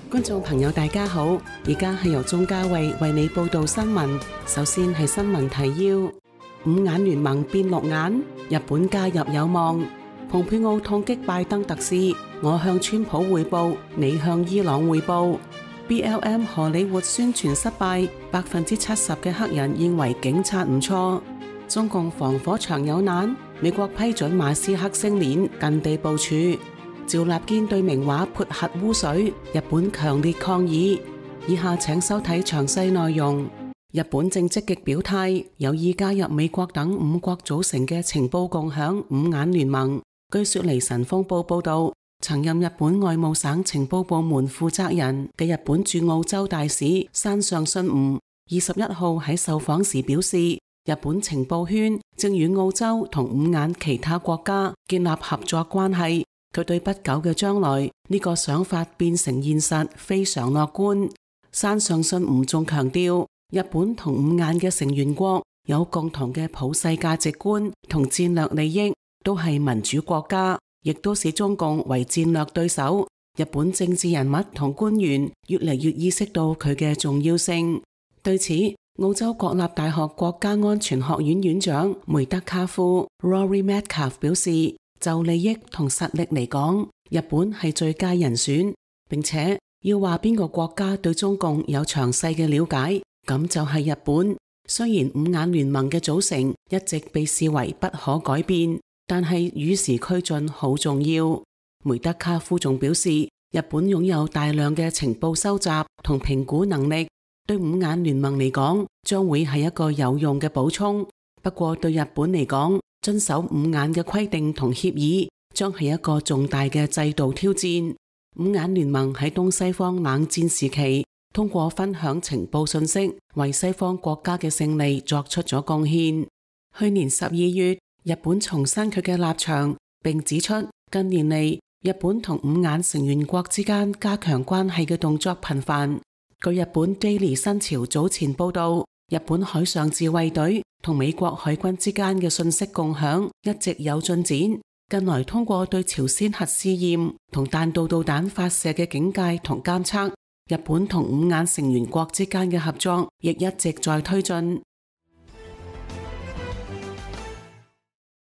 觀眾朋友大家好，而家係由鍾嘉慧為你報道新聞。首先係新聞提要：五眼聯盟變六眼，日本加入有望。蓬佩奧痛擊拜登特使，我向川普匯報，你向伊朗匯報。BLM 荷里活宣傳失敗，70%嘅黑人認為警察唔錯。中共防火牆有難，美國批准馬斯克星鏈近地部署。趙立堅對名畫潑核污水，日本強烈抗議。以下請收睇詳細內容。日本正積極表態，有意加入美國等5國組成嘅情報共享五眼聯盟。據說離神風報報道，曾任日本外務省情報部門負責人嘅日本駐澳洲大使山上信吾21號喺受訪時表示，日本情報圈正與澳洲同五眼其他國家建立合作關係。佢對不久嘅將來呢個想法變成現實非常樂觀。山上信吾仲強調，日本同五眼嘅成員國有共同嘅普世價值觀同戰略利益，都係民主國家，亦都視中共為戰略對手。日本政治人物同官員越嚟越意識到佢嘅重要性。對此，澳洲國立大學國家安全學院院長梅德卡夫 Rory Metcalf 表示，就利益同實力嚟講，日本係最佳人選，並且要話邊個國家對中共有詳細嘅了解，咁就係日本。雖然五眼聯盟嘅組成一直被視為不可改變，但係與時俱進好重要。梅德卡夫仲表示，日本擁有大量嘅情報收集同評估能力，對五眼聯盟嚟講將會係一個有用嘅補充。不過對日本嚟講，遵守五眼嘅規定同協議將係一個重大嘅制度挑戰。五眼聯盟喺東西方冷戰時期，通過分享情報信息，為西方國家嘅勝利作出咗貢獻。去年12月，日本重申佢嘅立場，並指出近年嚟日本同五眼成員國之間加強關係嘅動作頻繁。據日本 Daily 新潮早前報道，日本海上自衛隊同美國海軍之間嘅信息共享一直有進展。近來通過對朝鮮核試驗同彈道導彈發射嘅警戒同監測，日本同五眼成員國之間嘅合作亦一直在推進。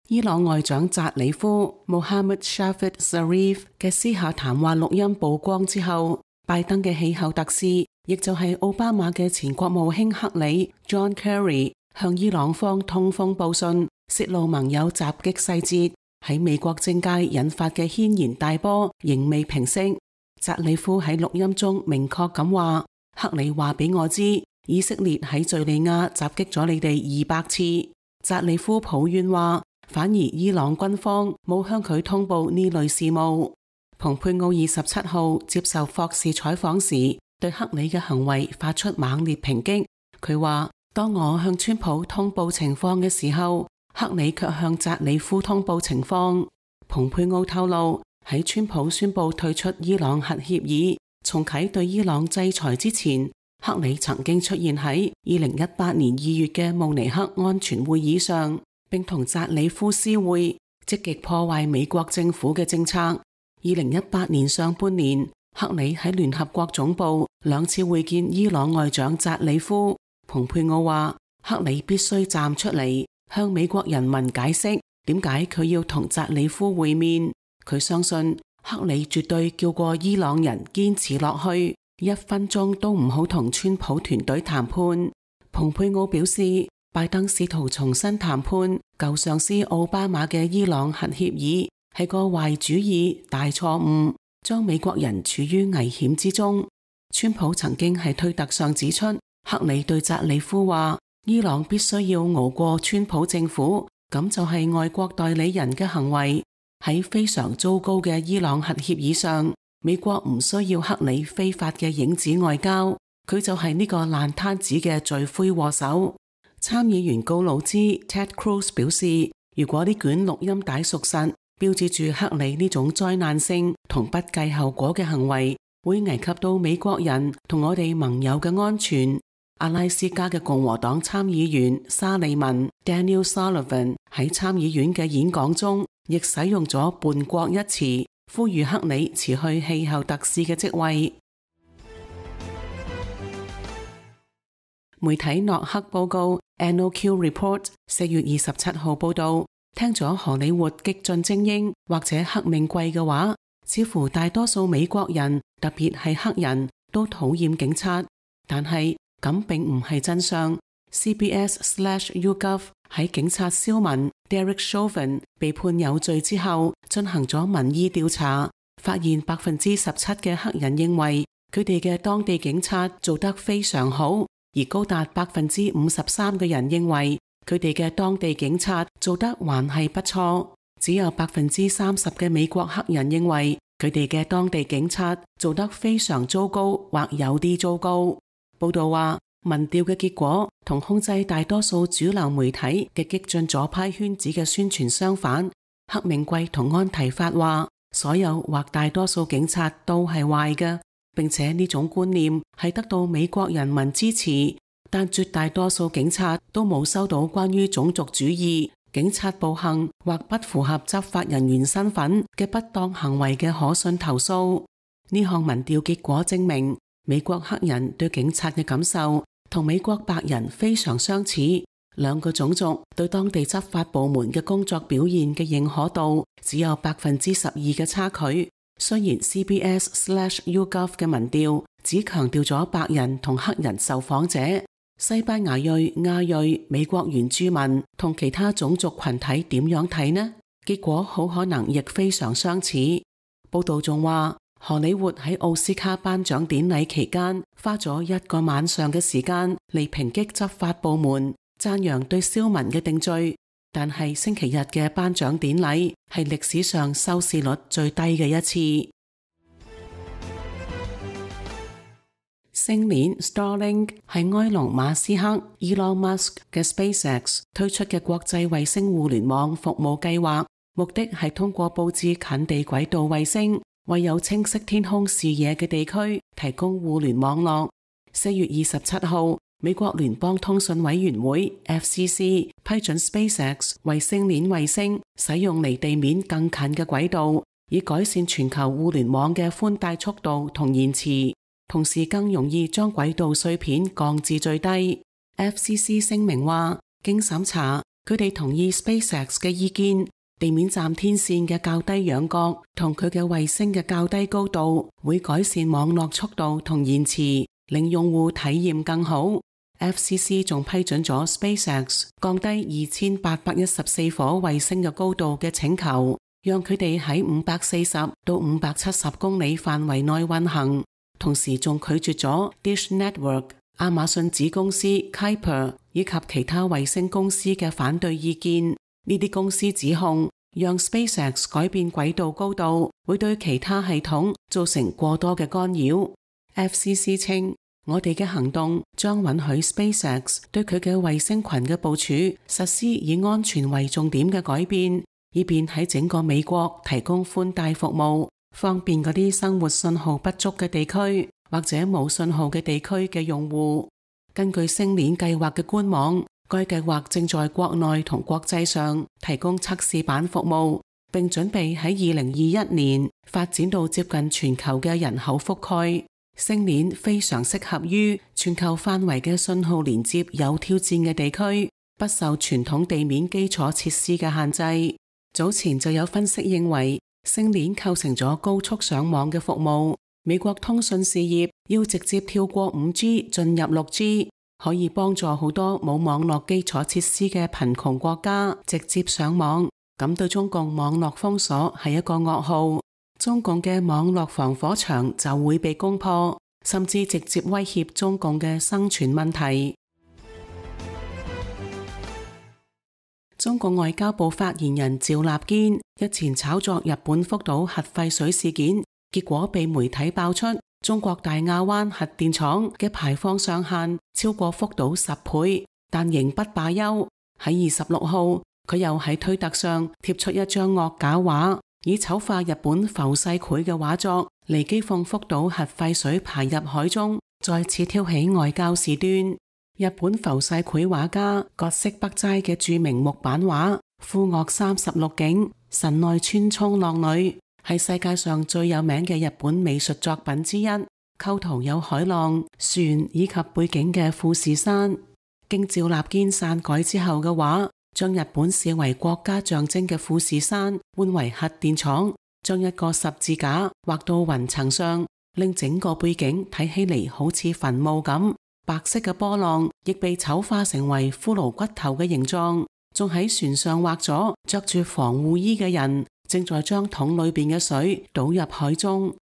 伊朗外長扎里夫 Mohammad Javad Zarif 嘅私下談話錄音曝光之後，拜登嘅氣候特使，亦就係奧巴馬嘅前國務卿克里 John Kerry 向伊朗方通風報信，泄露盟友襲擊細節。喺美國政界引發嘅軒然大波仍未平息。扎里夫喺錄音中明確咁話，克里話俾我知，以色列喺敘利亞襲擊咗你哋200次。扎里夫抱怨話，反而伊朗軍方冇向佢通報呢類事務。蓬佩奧27號接受霍士採訪時，對克里嘅行為發出猛烈抨擊。佢話，當我向川普通報情況嘅時候，克里卻向扎里夫通報情況。蓬佩奧透露，喺川普宣布退出伊朗核協議、重啟對伊朗制裁之前，克里曾經出現喺2018年2月嘅慕尼黑安全會議上，並同扎里夫私會，積極破壞美國政府嘅政策。2018年上半年，克里喺聯合國總部2次會見伊朗外長扎里夫。蓬佩奧話，克里必須站出嚟，向美國人民解釋點解佢要同扎里夫會面。佢相信克里絕對叫過伊朗人堅持落去，1分鐘都唔好同川普團隊談判。蓬佩奧表示，拜登試圖重新談判舊上司奧巴馬嘅伊朗核協議係個壞主意、大錯誤，將美國人處於危險之中。川普曾經喺推特上指出，克里對扎里夫話，伊朗必須要熬過川普政府，咁就係外國代理人嘅行為。喺非常糟糕嘅伊朗核協議上，美國唔需要克里非法嘅影子外交，佢就係呢個爛攤子嘅罪魁禍首。參議員高魯茲 Ted Cruz 表示，如果呢卷錄音帶屬實，標誌住克里呢種災難性同不計後果嘅行為，會危及到美國人同我哋盟友嘅安全。阿拉斯加嘅共和黨參議員沙利文 Daniel Sullivan 喺參議院嘅演講中，亦使用咗叛國一詞，呼籲克里辭去氣候特使嘅職位。媒體諾克報告 NOQ Report 4月27號報道，聽咗荷里活激進精英或者黑命貴嘅話，似乎大多數美國人，特別係黑人，都討厭警察。但係咁並唔係真相。CBS/YouGov 喺警察肖文 Derek Chauvin 被判有罪之後，進行咗民意調查，發現17%嘅黑人認為佢哋嘅當地警察做得非常好，而高達53%嘅人認為佢哋嘅當地警察做得還係不錯。只有30%嘅美國黑人認為佢哋嘅當地警察做得非常糟糕或有啲糟糕。報道話，民調嘅結果同控制大多數主流媒體嘅激進左派圈子嘅宣傳相反。黑命貴同安提法話，所有或大多數警察都係壞嘅，並且呢種觀念係得到美國人民支持，但絕大多數警察都冇收到關於種族主義、警察暴行或不符合執法人員身份嘅不當行為嘅可信投訴。呢項民調結果證明，美國黑人對警察嘅感受同美國白人非常相似，兩個種族對當地執法部門嘅工作表現嘅認可度只有12%嘅差距。雖然 CBS/YouGov 嘅民調只強調咗白人同黑人受訪者，西班牙裔、亞裔、美國原住民同其他種族群體點樣睇呢？結果好可能亦非常相似。報道仲話，荷里活喺奧斯卡頒獎典禮期間花咗1個晚上嘅時間嚟抨擊執法部門，讚揚對肖文嘅定罪。但係星期日嘅頒獎典禮係歷史上收視率最低嘅一次。星鏈 Starlink 係埃隆馬斯克 Elon Musk 嘅 SpaceX 推出嘅國際衛星互聯網服務計劃，目的係通過佈置近地軌道衛星，為有清晰天空視野嘅地區提供互聯網絡。4月27號，美國聯邦通訊委員會 FCC 批准 SpaceX 為星鏈衛星使用離地面更近嘅軌道，以改善全球互聯網嘅寬帶速度同延遲，同時更容易將軌道碎片降至最低。FCC 聲明話，經審查，佢哋同意 SpaceX 嘅意見，地面站天線嘅較低仰角同佢嘅衛星嘅較低高度會改善網絡速度同延遲，令用戶體驗更好。FCC 仲批准咗 SpaceX 降低2814顆衛星嘅高度嘅請求，讓佢哋喺540到570公里範圍內運行。同時仲拒絕咗 Dish Network、亞馬遜子公司 Kuiper 以及其他衛星公司嘅反對意見。呢啲公司指控，讓 SpaceX 改變軌道高度會對其他系統造成過多嘅干擾。FCC 稱，我哋嘅行動將允許 SpaceX 對佢嘅衛星群嘅部署實施以安全為重點嘅改變，以便喺整個美國提供寬帶服務，方便嗰啲生活信號不足嘅地區或者冇信號嘅地區嘅用戶。根據星鏈計劃嘅官網，該計劃正在國內同國際上提供測試版服務，並準備喺2021年發展到接近全球嘅人口覆蓋。星鏈非常適合於全球範圍嘅信號連接有挑戰嘅地區，不受傳統地面基礎設施嘅限制。早前就有分析認為，星鏈構成咗高速上網嘅服務。美國通訊事業要直接跳過 5G 進入 6G， 可以幫助好多冇網絡基礎設施嘅貧窮國家直接上網。咁對中共網絡封鎖係一個噩耗，中共嘅網絡防火牆就會被攻破，甚至直接威脅中共嘅生存問題。中共外交部發言人趙立堅日前炒作日本福島核廢水事件，結果被媒體爆出中國大亞灣核電廠嘅排放上限超過福島10倍，但仍不罷休。喺26號，佢又喺推特上貼出一張惡搞畫，以醜化日本浮世繪嘅畫作嚟譏諷福島核廢水排入海中，再次挑起外交事端。日本浮世繪畫家葛飾北齋嘅著名木版畫《富岳36景》神奈川沖浪女係世界上最有名嘅日本美術作品之一。構圖有海浪、船以及背景嘅富士山。經趙立堅刪改之後嘅畫，將日本視為國家象徵嘅富士山換為核電廠，將一個十字架畫到雲層上，令整個背景睇起嚟好似墳墓咁。白色嘅波浪亦被醜化成為骷髏骨頭嘅形狀，仲喺船上畫咗着住防護衣嘅人正在將桶裏邊嘅水倒入海中。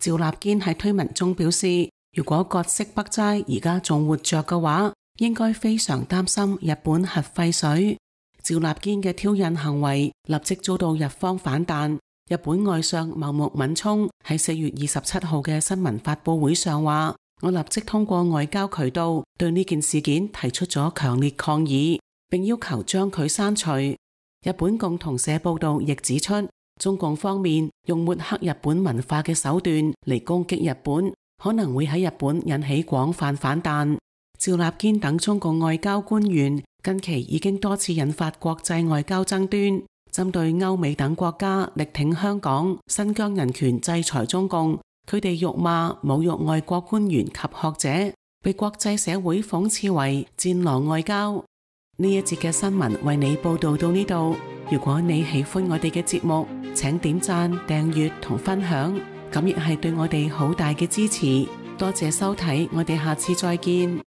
趙立堅喺推文中表示，如果葛飾北齋而家仲活着嘅話，應該非常擔心日本核廢水。趙立堅嘅挑釁行為立即遭到日方反彈。日本外相茂木敏充喺4月27號嘅新聞發佈會上話，我立即通過外交渠道對呢件事件提出咗強烈抗議，並要求將佢刪除。日本共同社報道亦指出，中共方面用抹黑日本文化嘅手段嚟攻擊日本，可能會喺日本引起廣泛反彈。趙立堅等中共外交官員近期已經多次引發國際外交爭端，針對歐美等國家力挺香港、新疆人權制裁中共，佢哋辱罵、侮辱外國官員及學者，被國際社會諷刺為戰狼外交。呢一節嘅新聞為你報道到呢度。如果你喜歡我哋嘅節目，請點讚、訂閱同分享，咁亦係對我哋好大嘅支持。多謝收睇，我哋下次再見。